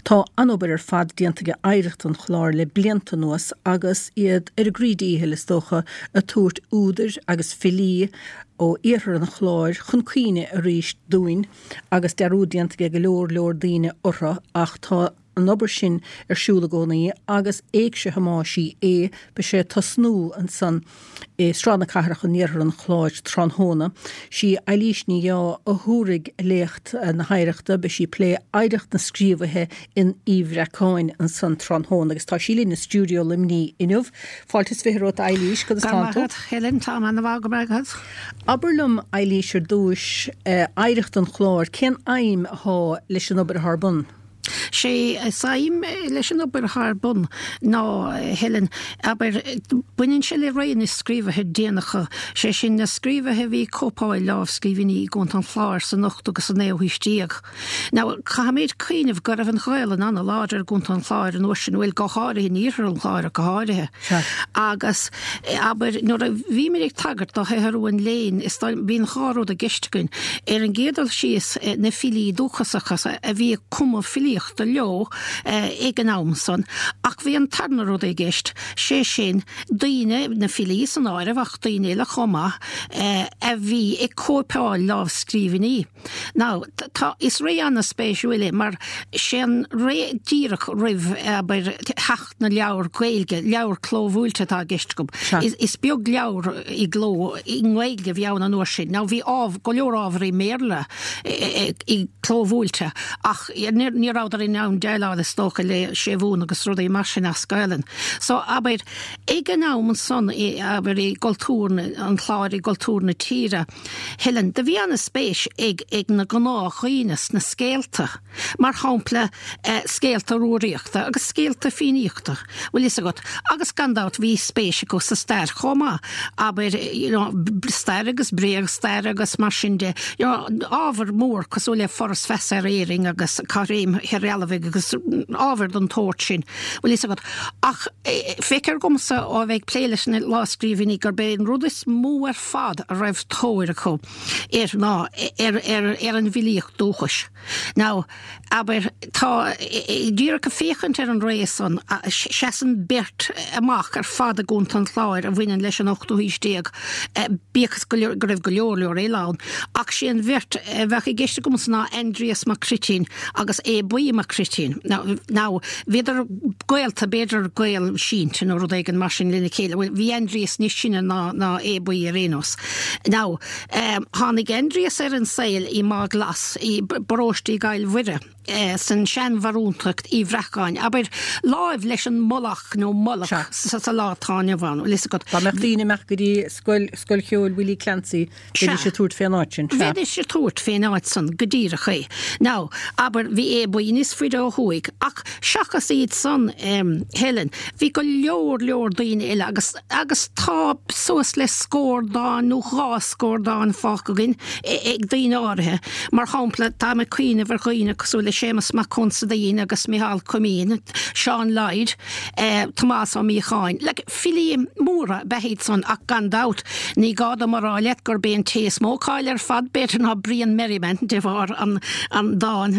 Tá an-obair ar fad déanta aige Oidhreacht an Chláir le blianta anuas agus iad ar a gcroí díchill, is dócha, ag tabhairt údair agus filí ó iarthar an Chláir chun cuimhne arís dúinn agus dearúd déanta aige go leor leor daoine orthu ach tá an obair sin ar siúl i gcónaí agus Éigse Thomáis Uí Aodha, beidh sé ag tosnú ansan i Sráid na Cathrach in iarthar an Chláir tráthnóna. Sí Eilís Ní Dheá a thabharfaidh léacht na hoidhreachta, beidh sí ag plé oidhreacht na scríobhaithe in Uí Bhreacáin ansan tráthnóna agus tá sí linn i stiúideo Luimnigh inniu. Fáilte is 20 romhat a Eilís, conas tánn tú? Go raibh maith agat, Helen, táim ana-mhaith, go raibh maith agat. Abair liom, Eilís, ar dtúis, Oidhreacht an Chláir, cén aidhm athá leis an obair athá ar bun? Sé is aidhm leis an obair athá ar bun ná, Helen, abair, baineann sé le ré na scríobhaithe déanacha, sé sin, na scríobhaithe a bhí ag cóipeáil lámhscríbhinní i gContae an Chláir san ochtú agus sa naoú haois déag. Now, caithfimid cuimhneamh go raibh an Ghaelainn ana-láidir i gContae an Chláir an uair sin, bhuel, go háirithe in iarthar an Chláir ach go háirithe. Agus, abair, nuair a bhímid ag tagairt do shaothrú an léinn, is dóigh, bíonn dhá rud i gceist againn. Ar an gcéad dul síos, na filí dúchasacha a bhí ag cumadh filíochta leo ag an am san, ach bhí an tarna rud i gceist, sé sin, daoine, na filí san áireamh ach daoine eile chomh maith, a bhí ag cóipeáil lámhscríbhinní. Now, tá, is ré an-spéisiúil é mar sé an ré díreach roimh, abair, theacht na leabhar Gaeilge, leabhar clóbhuailte atá i gceist agam. Is beag leabhar i gcló i nGaeilge a bhí ann an uair sin. Now bhí go leor ábhar i mBéarla i clóbhuailte ach ní rabhadar in ann déileáil is dócha le séimhiú agus rudaí mar sin as Gaelainn. So abair, ag an am san, abair i gcultúr an Chláir, i gcultúr na tíre, Helen, do bhí an-spéis ag ag na gnáthdhaoine sna scéalta. Mar shampla, scéalta Rúraíochta agus scéalta Fiannaíochta, bhfuil fhios agat, agus gan dabht bhí spéis acu sa stair chomh maith, abair, you know, stair agus bréagstair agus mar sin de, you know, ábhar mór cosúil le Foras Feasa ar Éirinn agus Caithréim Thoirdhealbhaigh agus ábhar den tsórt sin, bhfuil fhios agat. Ach feictear dhomsa ó a bheith ag plé leis na lámhscríbhinní gurb é an rud is mó ar fad a raibh tóir acu air ná ar, ar, ar an bhfilíocht dúchais. Now, abair, tá, díreach ag féachaint ar an ré san, seasann beirt amach ar fad i gContae an Chláir a bhaineann leis an ochtú haois déag, bíodh is go raibh go leor leor eile ann, ach sé an bheirt a bheadh i gceist agamsa ná Aindrias Mac Cruitín agus Aodh Buí Mac Cruitín. Now, bhíodar gaolta, b'fhéidir gaol sínte nó rud éigin mar sin lena chéile. Bhuel, bhí Aindrias níos sine ná Aodh Buí ar aon nós. Now, Tháinig Aindrias ar an saol i Mágh Glas, i bparóiste i gCill Mhuire, san seanbharúntacht Uí Bhreacáin, abair, láimh leis an Mullach nó Mullach sa lá atá inniu ann, bhfuil fhios agat. Dá mbeadh daoine ag imeacht go dtí scoil, scoil cheoil Willie Clancy, bheidís ag tabhairt fén áit sin, sea. Bheidís ag tabhairt fén áit san, go díreach é. Now, abair, bhí Aodh Buí níos faide ó thuaidh, ach seachas iad san, Helen, bhí go leor leor daoine eile agus, Agus tá suas le scór dán nó dhá scór dán fágtha againn ag daoine áirithe. Mar shampla, táim ag cuimhneamh ar dhaoine cosúil le Séamus Mac Consaidín agus Micheál Coimín, Seán Lloyd, Tomás Ó Míocháin. Like, filí móra ab ea iad san ach gan dabht, ní gá dom a rá leat gurb é an té is mó cáil ar fad, b'fhéidir, ná Brian Merriman de bharr an dán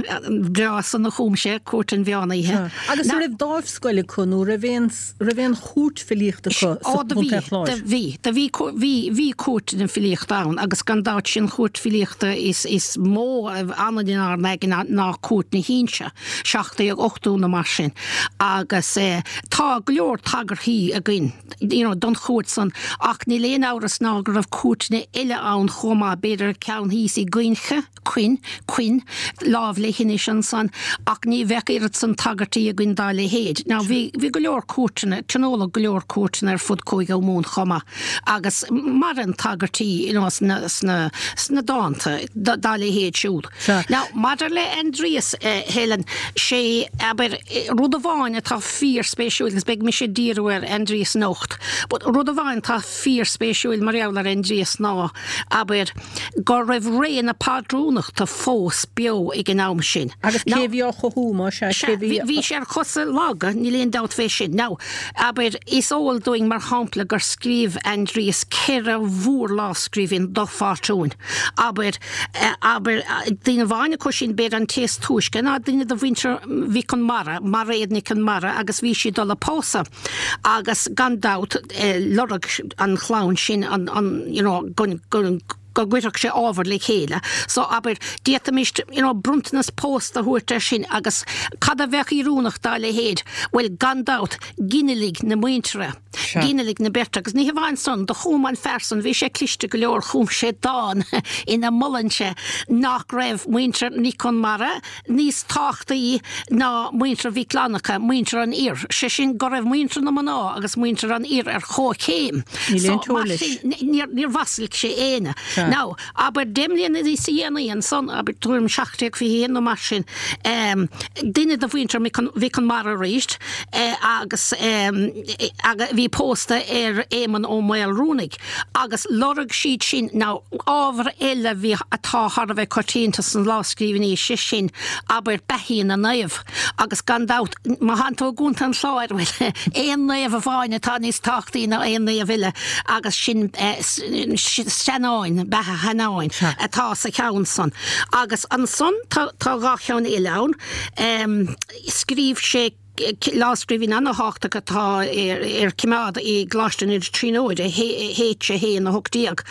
breá san a chum sé, Cúirt an Mheán Oíche. Agus an raibh dáimh scoil acu nó raibh aon raibh aon chúirt filíochta acu sa Ó do bhí, Chontae Chláir? do bhí, do bhí, bhí, bhí cúirteanna filíochta ann agus gan dabht sin chúirt filíochta is, is mó a fhanann inár n-aigne ná Cúirt na hInse, 1780 nó mar sin agus eh tá go leor tagarthaí againn you know don chúirt san ach níl aon amhras ná go raibh cúirteanna eile ann chomh maith, b'fhéidir ceann thíos i gCuinche, Quin, Quin, láimh le hInis ansan, ach ní bheadh oiread san tagairtí againn dá leithéid. Now bhí, bhí go leor cúirteanna, tionóladh go leor cúirteanna ar fud Cúige Mumhan chomh maith, agus maireann tagairtí, you know, sna, sna, sna dánta dá leithéid siúd. Sea. Now, maidir le Aindrias, Helen, sé, abair, rud amháin atá fíorspéisiúil, agus beidh mise ag díriú ar Aindrias anocht, but rud amháin atá fíorspéisiúil mar gheall ar Aindrias ná, abair, go raibh ré na pátrúnachta fós beo ag an am sin. Agus cé a bhí á chothú, más ea? Sea, Cé bhí. bhí. Bhí sé ar chosa laga, níl aon dabht fé sin. Now, abair, is eol dúinn, mar shampla, gur scríobh Aindrias 4 mhórlámhscríbhinn do Phátrúin. Abair, abair, duine amháin acu sin, b'fhéidir an té is túisce, ná duine de mhuintir Mhic Con Mara, Mairéad Nic Con Mara, agus bhí sí ag dul a pósadh. Agus gan dabht, lorg an chlann sin an, an, you know, go, go, go gcuirfeadh sé ábhar le chéile. So, abair, d'fhéadfaimis, you know, bronntanas pósta a thabhairt air sin agus cad a bheadh oiriúnach dá leithéid? Bhuel, gan dabht, ginealaigh na muintire, ginealaigh na beirte. Agus ní hamháin san, do chum an fear san, bhí sé cliste go leor, chum sé dán ina molann sé nach raibh muintir Nic Con Mara níos tábhachtaí ná muintir Mhic Fhlannchadha, muintir an fhir, sé sin go raibh muintir na mná agus muintir an fhir ar chomhchéim. Níl aon teora leis. Mar sin, níor mhaslaigh sé éinne. Now, abair deich mbliana níos dhéanaí ansan, abair tuairim 1721 nó mar sin, duine de mhuintir Mhic Con Mara arís agus a bhí pósta ar Éamonn Ó Maolruanaidh, Agus lorg siad sin, now, ábhar eile a bhí, atá thar a bheith coitianta sna lámhscríbhinní, sé sin, abair, beathaí na naomh. Agus gan dabht, má thánn tú i gContae an Chláir, bhuel, aon naomh amháin atá níos tábhachtaí ná aon naomh eile agus sin Seanáin, beatha Sheanáin, atá sa cheann san. Agus ansan tá, tá dhá cheann eile ann. Scríobh sé. Lámhscríbhinn an-thábhachtach atá ar coimeád i gColáiste na Tríonóide, H 1 18,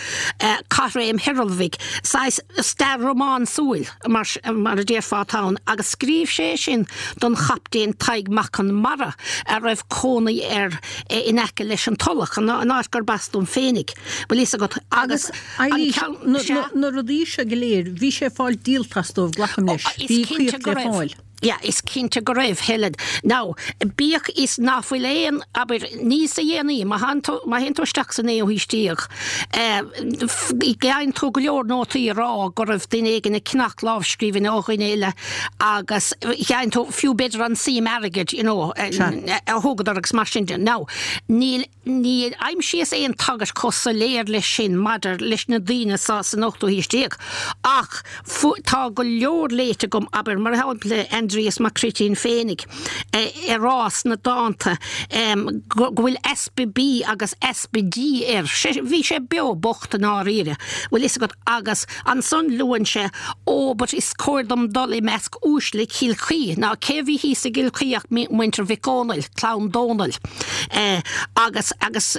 Caithréim Thoirealbhaigh, saghas stair rómánsúil, mar a déarfá, atá ann, agus scríobh sé é sin don Chaptaen Tadhg Mac Con Mara, a raibh cónaí air in aice leis an Tulach, an áit gurb as dom féinig, bhfuil fhios agat, agus an ceann. Na rudaí seo go léir, bhí sé ag fáil díolta as dóibh, glacaim leis, bhí caoch le fáil. Yeah, is cinnte go raibh, Helen. Now, bíodh is ná fuil aon, abair, níos a dhéanaí, má théann tú, má théann tú isteach sa naoú haois déag, eh, gheibheann tú go leor nótaí ag rá go raibh duine éigin ag ceannach lámhscríbhinne ó dhuine eile agus gheibheann tú fiú b'fhéidir an suim airgid, you know, a thugadar agus mar sin de. Now, níl. Níor aimsíos aon tagairt chomh soiléir leis sin maidir leis na daoine seo san ochtú haois déag, ach tá go leor léite agam, abair, mar shampla, Aindrias Mac Cruitín féinig ag rá sna dánta go bhfuil easpa bídh agus easpa dí air. Bhí sé beo bocht i ndáiríre, bhfuil fhios agat, agus ansan luann sé, Ó, but is cóir dom dul i measc uaisle Chill Chaoi. Now cé a bhí thíos i gCill Chaoi ach muintir Mhic Dhónaill, clann Dónaill. Agus, agus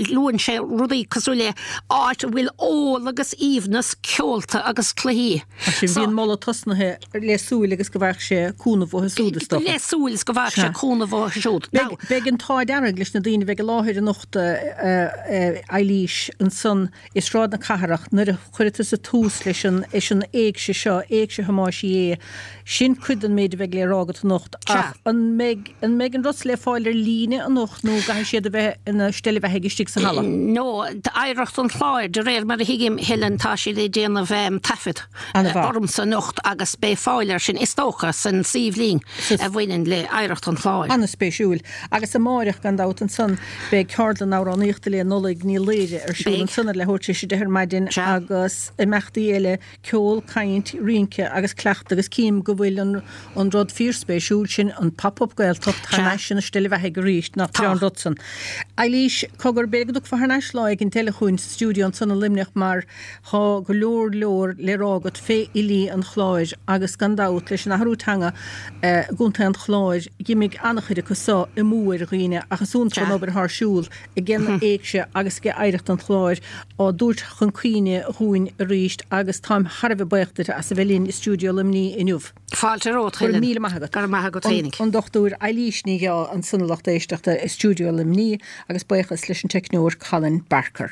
luann sé rudaí cosúil le áit a bhfuil ól agus aoibhneas, ceolta agus cluichí. Mar sin, bhí an moladh tosnaithe le súil agus go bhfaigheadh sé cúnamh uathu siúd, is dócha. Le súil is go bhfaigheadh sé cúnamh uathu siúd. Beidh, beidh an t-ádh dearg leis na daoine a bheidh i láthair anocht, a Eilís, ansan i Sráid na Cathrach nuair a chuirfidh tusa tús leis an leis an éigse seo, Éigse Thomáis Uí Aodha. Sin cuid den méid a bheidh le rá agat anocht. Ach an mbeidh an mbeidh an rud le fáil ar líne anocht nó an gcaithfidh siad a bheith ina steillebheathaigh istigh sa halla? No, Oidhreacht an Chláir, de réir mar a thuigim, Helen, tá siad ag déanamh taifead ormsa anocht agus beidh fáil air sin, is dócha, san suíomh lín a bhaineann le Oidhreacht an Chláir. An-spéisiúil. Agus amáireach, gan dabht, ansan beidh ceardlann amhránaíochta le Nollaig Ní Laoire ar siúl ansan ar leathuair tar éis a 10 ar maidin agus imeachtaí eile, ceol, caint, rince agus cleachtadh agus cím go bhfuil an an rud fíorspéisiúil sin, an Pop Up Gaeltacht, thar n-ais ina steillebheathaigh arís, nach breá an rud san. Eilís, cogar, b'fhéidir go dtiocfá thar n-ais lá éigin eile chugainn sa stiúideo ansan i Luimneach mar Tá go leor leor le rá agat fé fhilí an Chláir agus gan dabht leis an athrú teanga i gContae an Chláir dh'imigh an-chuid acu so amú ar dhaoine ach is iontach an obair atá ar siúl ag an Éigse agus ag Oidhreacht an Chláir á dtabhairt chun cuimhne dhúinn arís agus táim thar a bheith buíoch duit as a bheith linn i stiúideo Luimnigh inniu. Fáilte romhat, Go raibh míle maith agat. Go raibh maith agat féinig. An Dr Eilís Ní Dheá ansan a lucht éisteachta i stiúideo Luimnigh agus buíochas leis an teicneoir Colin Barker.